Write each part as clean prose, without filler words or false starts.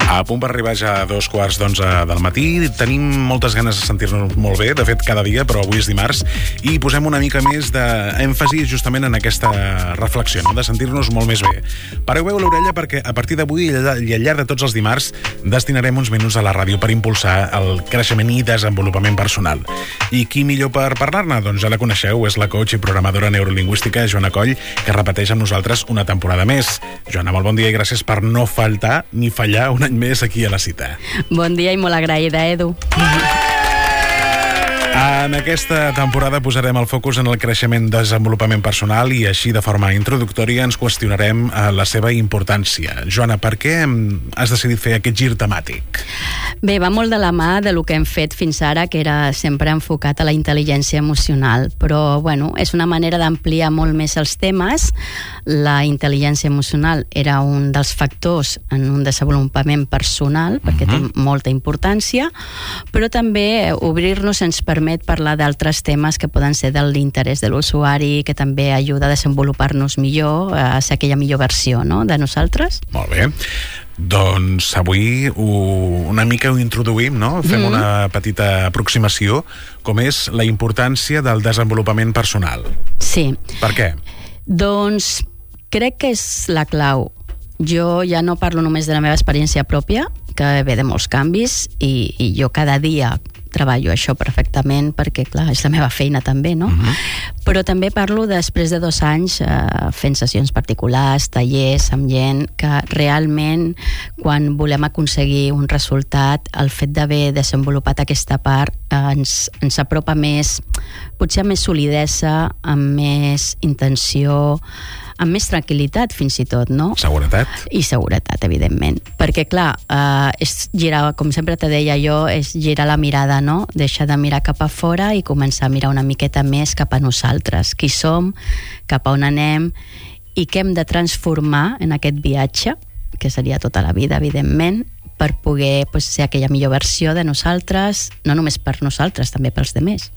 A punt per arribar ja a 2:15 del matí. Tenim moltes ganes de sentir-nos molt bé, de fet cada dia, però avui és dimarts, i posem una mica més d'èmfasi justament en aquesta reflexió, no? De sentir-nos molt més bé. Pareu l'orella perquè a partir d'avui i al llarg de tots els dimarts destinarem uns minuts a la ràdio per impulsar el creixement i desenvolupament personal. I qui millor per parlar-ne? Doncs ja la coneixeu, és la coach i programadora neurolingüística Joana Coll, que repeteix amb nosaltres una temporada més. Joana, molt bon dia i gràcies per no faltar ni fallar un any més aquí a la cita. Bon dia i molt agraïda, Edu. En aquesta temporada posarem el focus en el creixement i desenvolupament personal i així de forma introductòria ens qüestionarem la seva importància. Joana, per què has decidit fer aquest gir temàtic? Bé, va molt de la mà de lo que hem fet fins ara, que era sempre enfocat a la intel·ligència emocional, però bueno, és una manera d'ampliar molt més els temes. La intel·ligència emocional era un dels factors en un desenvolupament personal, perquè té molta importància, però també obrir-nos ens permet parlar d'altres temes que poden ser de l'interès de l'usuari, que també ajuda a desenvolupar-nos millor, a ser aquella millor versió, no?, de nosaltres. Molt bé. Doncs avui una mica ho introduïm, no? Fem una petita aproximació, com és la importància del desenvolupament personal. Sí. Per què? Doncs crec que és la clau. Jo ja no parlo només de la meva experiència pròpia, que ve de molts canvis, i jo cada dia treballo això perfectament perquè, clar, és la meva feina també, no? Però també parlo després de 2 anys fent sessions particulars, tallers amb gent, que realment quan volem aconseguir un resultat, el fet d'haver desenvolupat aquesta part ens apropa més, potser amb més solidesa, amb més intenció, amb més tranquil·litat fins i tot, no? Seguretat. I seguretat, evidentment. Perquè, clar, és girar, com sempre te deia jo, és girar la mirada, no? Deixar de mirar cap a fora i començar a mirar una miqueta més cap a nosaltres. Qui som, cap a on anem i què hem de transformar en aquest viatge, que seria tota la vida, evidentment, per poder ser aquella millor versió de nosaltres, no només per nosaltres, també pels demés.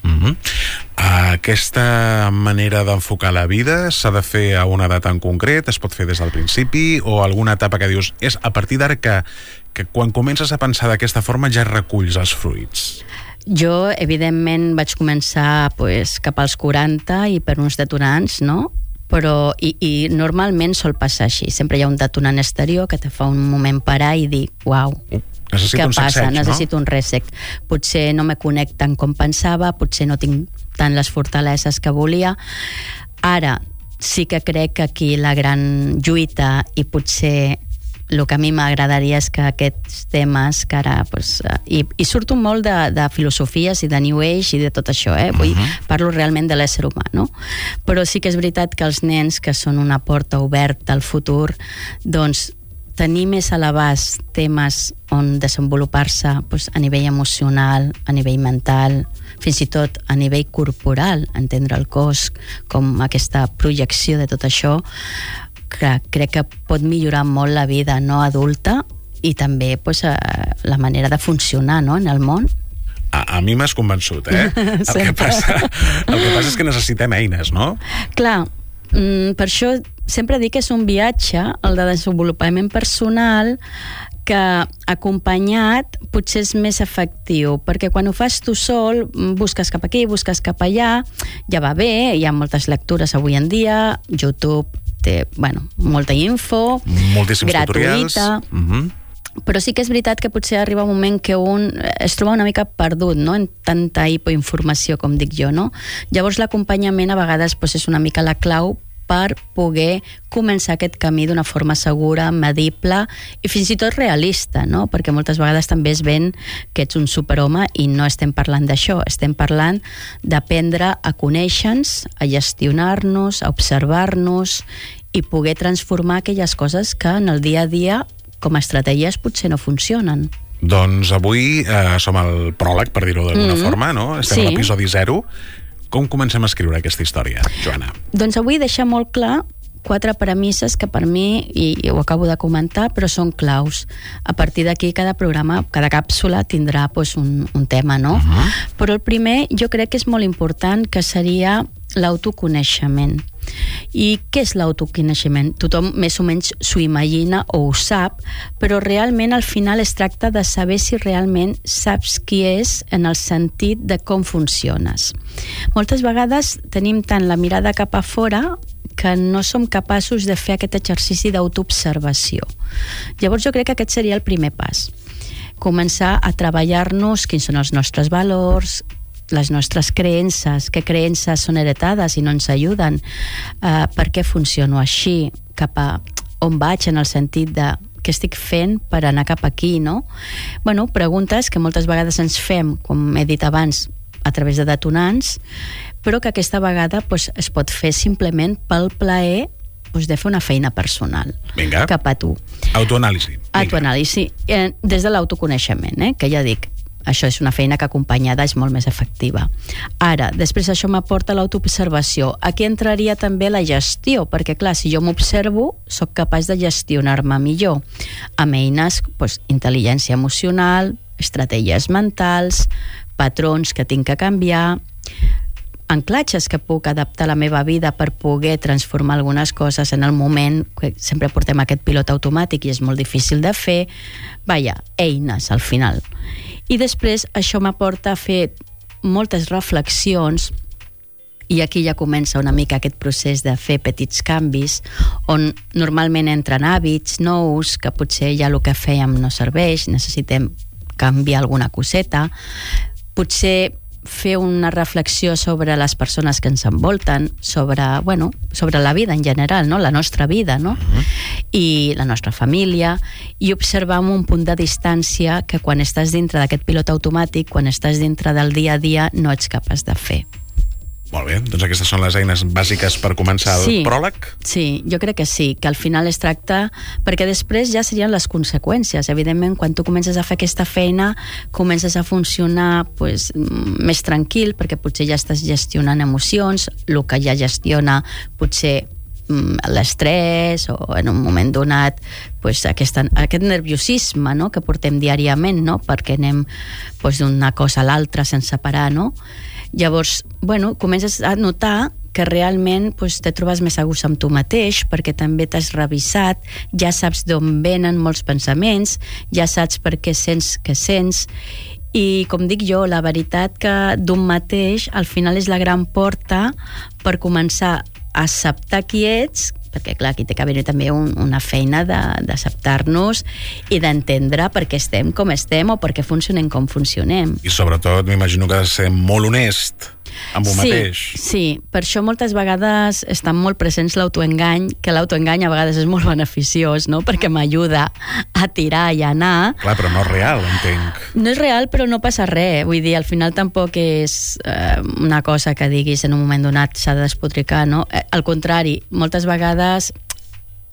Aquesta manera d'enfocar la vida s'ha de fer a una edat en concret, es pot fer des del principi, o alguna etapa que dius, és a partir d'ara que quan comences a pensar d'aquesta forma ja reculls els fruits? Jo, evidentment, vaig començar cap als 40 i per uns detonants, no? Però i normalment sol passar així. Sempre hi ha un detonant exterior que te fa un moment parar i dir, uau, necessito un sacseig, no? Necessito un reset. Potser no me connecto tant com pensava, potser no tinc tant les fortaleses que volia. Ara sí que crec que aquí la gran lluita i potser el que a mi m'agradaria és que aquests temes que ara i surto molt de filosofies i de New Age i de tot això, parlo realment de l'ésser humà, no? Però sí que és veritat que els nens, que són una porta oberta al futur, doncs tenir més a l'abast temes on desenvolupar-se a nivell emocional, a nivell mental, fins i tot a nivell corporal, entendre el cos com aquesta projecció de tot això, crec que pot millorar molt la vida no adulta i també la manera de funcionar, no, en el món. A mi m'has convençut, El que passa és que necessitem eines, no? Clar, per això sempre dic que és un viatge, el de desenvolupament personal, que acompanyat potser és més efectiu, perquè quan ho fas tu sol, busques cap aquí, busques cap allà, ja va bé, hi ha moltes lectures avui en dia, YouTube té, molta info, moltíssims gratuïta, però sí que és veritat que potser arriba un moment que un es troba una mica perdut, no?, en tanta hipoinformació, com dic jo, no? Llavors l'acompanyament a vegades és una mica la clau per poder començar aquest camí d'una forma segura, medible i fins i tot realista, no? Perquè moltes vegades també es ven que ets un superhome i no estem parlant d'això, estem parlant d'aprendre a conèixer-nos, a gestionar-nos, a observar-nos i poder transformar aquelles coses que en el dia a dia com a estratègies potser no funcionen. Doncs avui som al pròleg, per dir-ho d'alguna forma, no? Estem a l'episodi 0. Com comencem a escriure aquesta història, Joana? Doncs avui deixar molt clar 4 premisses que per mi, i ho acabo de comentar, però són claus. A partir d'aquí cada programa, cada càpsula tindrà un tema, no? Però el primer jo crec que és molt important, que seria l'autoconeixement. I què és l'autoconeixement? Tothom més o menys s'ho imagina o ho sap, però realment al final es tracta de saber si realment saps qui és en el sentit de com funciones. Moltes vegades tenim tant la mirada cap a fora que no som capaços de fer aquest exercici d'autoobservació. Llavors jo crec que aquest seria el primer pas. Començar a treballar-nos quins són els nostres valors, les nostres creences, què creences són heretades i no ens ajuden, per què funciono així, cap a on vaig en el sentit de què estic fent per anar cap aquí, no? Bueno, preguntes que moltes vegades ens fem, com he dit abans, a través de detonants, però que aquesta vegada es pot fer simplement pel plaer de fer una feina personal. Vinga. Cap a tu. Autoanàlisi. Autoanàlisi, des de l'autoconeixement, que ja dic, això és una feina que acompanyada és molt més efectiva. Ara, després això m'aporta l'autoobservació. Aquí entraria també la gestió, perquè clar, si jo m'observo, sóc capaç de gestionar-me millor amb eines, intel·ligència emocional, estratègies mentals, patrons que tinc que canviar, anclatges que puc adaptar a la meva vida per poder transformar algunes coses en el moment, que sempre portem aquest pilot automàtic i és molt difícil de fer. Vaja, eines al final. I després això m'aporta a fer moltes reflexions, i aquí ja comença una mica aquest procés de fer petits canvis, on normalment entren hàbits nous, que potser ja el que fèiem no serveix, necessitem canviar alguna coseta, potser fer una reflexió sobre les persones que ens envolten, sobre la vida en general, no? La nostra vida, no? I la nostra família, i observar amb un punt de distància que quan estàs dintre d'aquest pilot automàtic, quan estàs dintre del dia a dia, no ets capaç de fer. Molt bé, doncs aquestes són les eines bàsiques per començar el pròleg? Sí, jo crec que sí, que al final es tracta, perquè després ja serien les conseqüències. Evidentment, quan tu comences a fer aquesta feina, comences a funcionar més tranquil, perquè potser ja estàs gestionant emocions, el que ja gestiona potser l'estrès o en un moment donat aquest nerviosisme, no?, que portem diàriament, no?, perquè anem d'una cosa a l'altra sense parar, no? Llavors, comences a notar que realment te trobes més a gust amb tu mateix, perquè també t'has revisat, ja saps d'on venen molts pensaments, ja saps per què sents que sents, i com dic jo, la veritat que d'un mateix al final és la gran porta per començar a acceptar qui ets, perquè clar, aquí té que haver també una feina d'acceptar-nos i d'entendre per què estem com estem o per què funcionem com funcionem. I sobretot m'imagino que has de ser molt honest amb un mateix. Sí, per això moltes vegades estan molt presents l'autoengany, que l'autoengany a vegades és molt beneficiós, no?, perquè m'ajuda a tirar i a anar. Clar, però no és real, entenc. No és real, però no passa res. Vull dir, al final tampoc és una cosa que diguis en un moment donat s'ha de despotricar, no? Al contrari, moltes vegades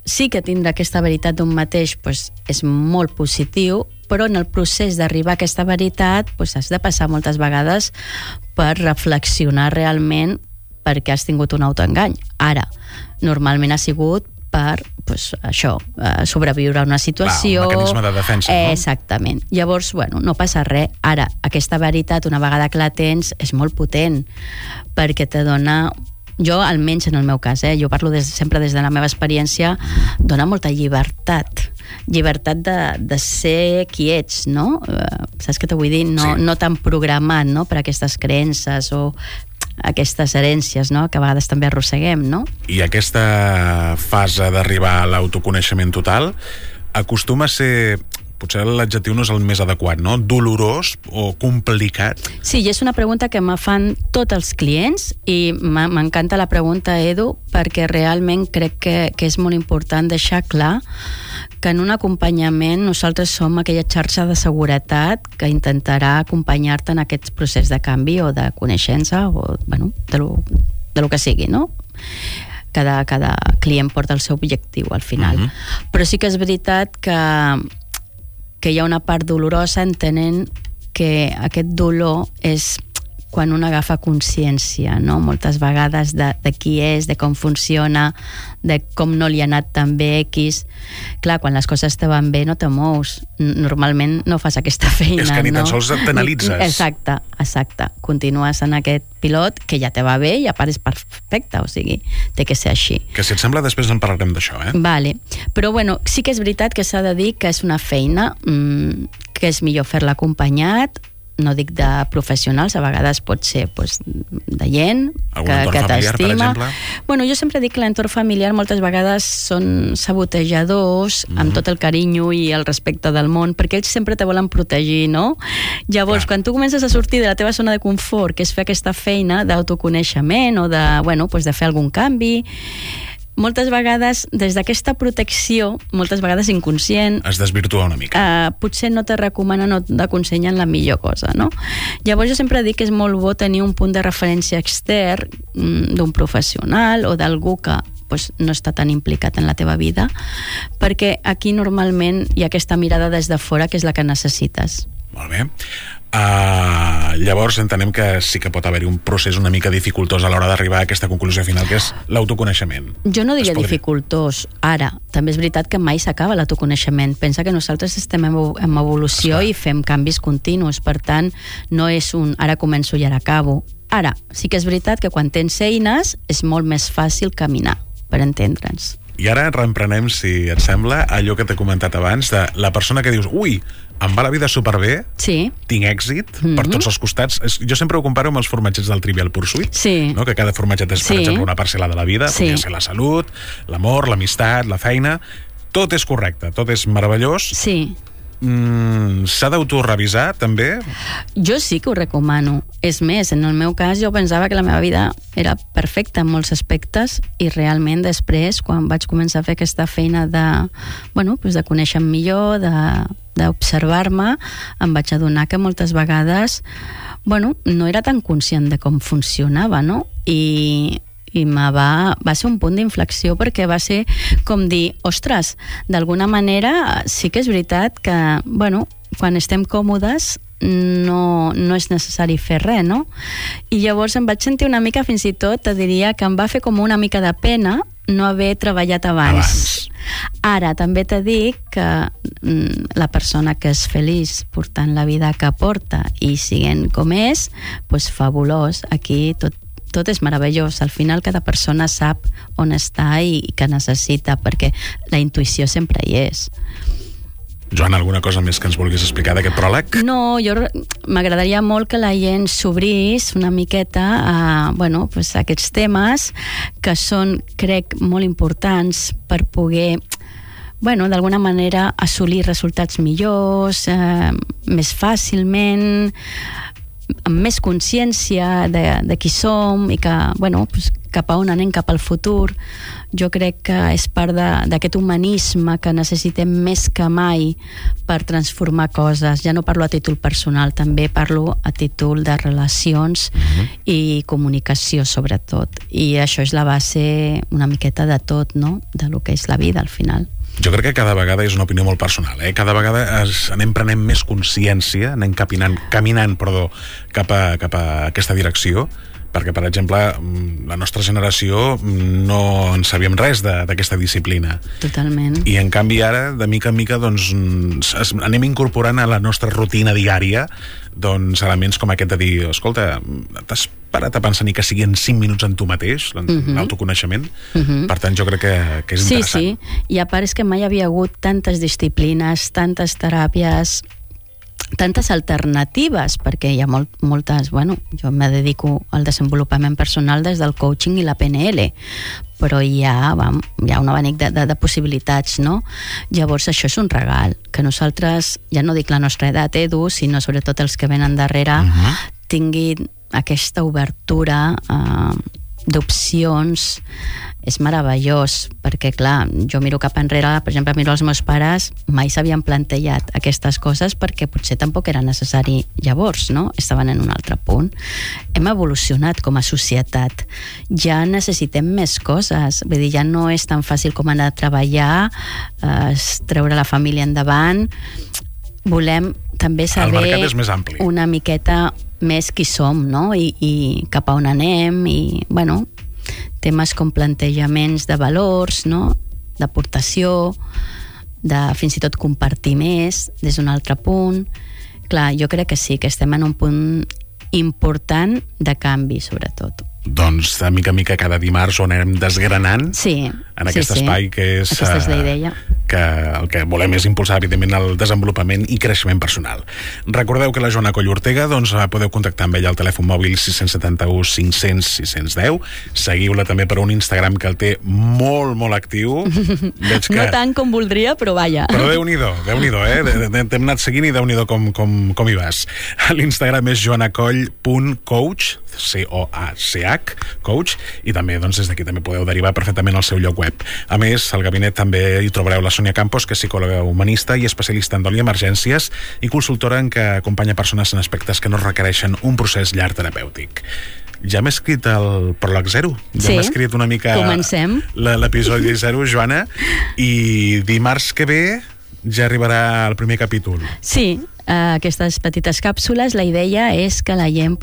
sí que tindre aquesta veritat d'un mateix és molt positiu, però en el procés d'arribar a aquesta veritat has de passar moltes vegades per reflexionar realment per què has tingut un autoengany. Ara, normalment ha sigut per sobreviure a una situació. Clar, un mecanisme de defensa, no? Exactament. Llavors, no passa res. Ara, aquesta veritat, una vegada que la tens, és molt potent, perquè te dona... Jo, almenys en el meu cas, jo parlo sempre des de la meva experiència, dona molta llibertat de ser qui ets, no? Saps què t'ho vull dir? No tan programat, no?, per aquestes creences o aquestes herències, no?, que a vegades també arrosseguem, no? I aquesta fase d'arribar a l'autoconeixement total acostuma a ser... Potser l'adjectiu no és el més adequat, no? Dolorós o complicat? Sí, i és una pregunta que me fan tots els clients i m'encanta la pregunta, Edu, perquè realment crec que és molt important deixar clar que en un acompanyament nosaltres som aquella xarxa de seguretat que intentarà acompanyar-te en aquest procés de canvi o de coneixença o, de lo que sigui, no? Cada client porta el seu objectiu al final. Però sí que és veritat que hi ha una part dolorosa entenent que aquest dolor és quan un agafa consciència, no? Moltes vegades de qui és, de com funciona, de com no li ha anat tan bé X. Clar, quan les coses te van bé no te mous. Normalment no fas aquesta feina, és que ni tan sols t'analitzes. Exacte. Continues en aquest pilot que ja te va bé i a part és perfecte, o sigui, té que ser així. Que si et sembla després en parlarem d'això, Vale. Però bueno, sí que és veritat que s'ha de dir que és una feina que és millor fer-la acompanyat, no dic de professionals, a vegades pot ser de gent que t'estima. Bueno, jo sempre dic que l'entorn familiar moltes vegades són sabotejadors amb tot el carinyo i el respecte del món, perquè ells sempre te volen protegir, no? Llavors, quan tu comences a sortir de la teva zona de confort, que és fer aquesta feina d'autoconeixement o de fer algun canvi, moltes vegades, des d'aquesta protecció, moltes vegades inconscient, es desvirtua una mica. Potser no te recomanen o t'aconsellen la millor cosa, no? Llavors jo sempre dic que és molt bo tenir un punt de referència extern d'un professional o d'algú que no està tan implicat en la teva vida, perquè aquí normalment hi ha aquesta mirada des de fora que és la que necessites. Molt bé. Llavors entenem que sí que pot haver-hi un procés una mica dificultós a l'hora d'arribar a aquesta conclusió final, que és l'autoconeixement. Jo no diria dificultós. Ara, també és veritat que mai s'acaba l'autoconeixement. Pensa que nosaltres estem en evolució i fem canvis continus. Per tant, no és ara començo i ara acabo. Ara, sí que és veritat que quan tens eines és molt més fàcil caminar, per entendre'ns. I ara reemprenem, si et sembla, allò que t'he comentat abans, de la persona que dius, ui, em va la vida superbé, tinc èxit per tots els costats. Jo sempre ho comparo amb els formatgets del Trivial Pursuit, no? Que cada formatget és, per exemple, una parcel·la de la vida, podria ser la salut, l'amor, l'amistat, la feina. Tot és correcte, tot és meravellós. Sí. S'ha d'autorevisar, també? Jo sí que ho recomano. És més, en el meu cas, jo pensava que la meva vida era perfecta en molts aspectes i realment després, quan vaig començar a fer aquesta feina de conèixer millor, d'observar-me, em vaig adonar que moltes vegades no era tan conscient de com funcionava, no? I va ser un punt d'inflexió, perquè va ser com dir, ostres, d'alguna manera sí que és veritat que, quan estem còmodes no és necessari fer res, no? I llavors em vaig sentir una mica, fins i tot, te diria que em va fer com una mica de pena no haver treballat abans. Ara, també t'he dit que la persona que és feliç portant la vida que porta i siguent com és, fabulós. Aquí tot és meravellós. Al final cada persona sap on està i què necessita, perquè la intuïció sempre hi és. Joan, alguna cosa més que ens vulguis explicar d'aquest pròleg? No, m'agradaria molt que la gent s'obrís una miqueta a aquests temes que són, crec, molt importants per poder d'alguna manera assolir resultats millors, més fàcilment, amb més consciència de qui som i que, cap a on anem, cap al futur. Jo crec que és part d'aquest humanisme que necessitem més que mai per transformar coses. Ja no parlo a títol personal, també parlo a títol de relacions i comunicació, sobretot. I això és la base una miqueta de tot, no? De lo que és la vida, al final. Jo crec que cada vegada és una opinió molt personal, cada vegada anem prenent més consciència, anem caminant cap a aquesta direcció, perquè, per exemple, la nostra generació no en sabíem res d'aquesta disciplina. Totalment. I, en canvi, ara, de mica en mica, anem incorporant a la nostra rutina diària elements com aquest de dir, escolta, t'has parat a pensar ni que siguin 5 minuts en tu mateix, l'autoconeixement? Per tant, jo crec que és interessant. Sí, i a part és que mai havia hagut tantes disciplines, tantes teràpies, tantes alternatives, perquè hi ha moltes, jo me dedico al desenvolupament personal des del coaching i la PNL, però hi ha un abanic de possibilitats, no? Llavors això és un regal, que nosaltres, ja no dic la nostra edat, Edu, sinó sobretot els que venen darrere, tinguin aquesta obertura d'opcions. És meravellós, perquè clar, jo miro cap enrere, per exemple, miro els meus pares, mai s'havien plantejat aquestes coses perquè potser tampoc era necessari llavors, no? Estaven en un altre punt. Hem evolucionat com a societat. Ja necessitem més coses. Vull dir, ja no és tan fàcil com anar a treballar, treure la família endavant. Volem també saber... El mercat és més ampli. Una miqueta més qui som, no? I cap a on anem, i, bueno, temes com plantejaments de valors, no? D'aportació, de fins i tot compartir més des d'un altre punt. Clar, jo crec que sí, que estem en un punt important de canvi, sobretot. Doncs, de mica en mica, cada dimarts on anem desgranant en aquest espai que és... Aquesta és la idea. Que el que volem és impulsar, evidentment, el desenvolupament i creixement personal. Recordeu que la Joana Coll Ortega, doncs, podeu contactar amb ella al telèfon mòbil 671 500 610. Seguiu-la també per un Instagram que el té molt, molt actiu. Veig que... No tant com voldria, però vaja. Però Déu-n'hi-do, t'hem anat seguint i Déu-n'hi-do com hi vas. L'Instagram és joanacoll.coach, C-O-A-C-H, coach, i també, doncs, des d'aquí també podeu derivar perfectament al seu lloc web. A més, al gabinet també hi trobareu la Sònia Campos, que és psicòloga humanista i especialista en dol i emergències i consultora en què acompanya persones en aspectes que no requereixen un procés llarg terapèutic. Ja hem escrit el pròleg 0. Ja hem escrit una mica... Comencem. L'episodi 0, Joana, i dimarts que ve ja arribarà el primer capítol. Sí, aquestes petites càpsules, la idea és que la gent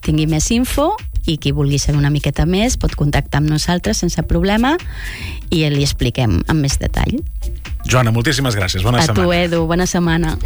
tingui més info i qui vulgui saber una miqueta més pot contactar amb nosaltres sense problema i li expliquem amb més detall. Joana, moltíssimes gràcies. Bona setmana. A tu, Edu. Bona setmana.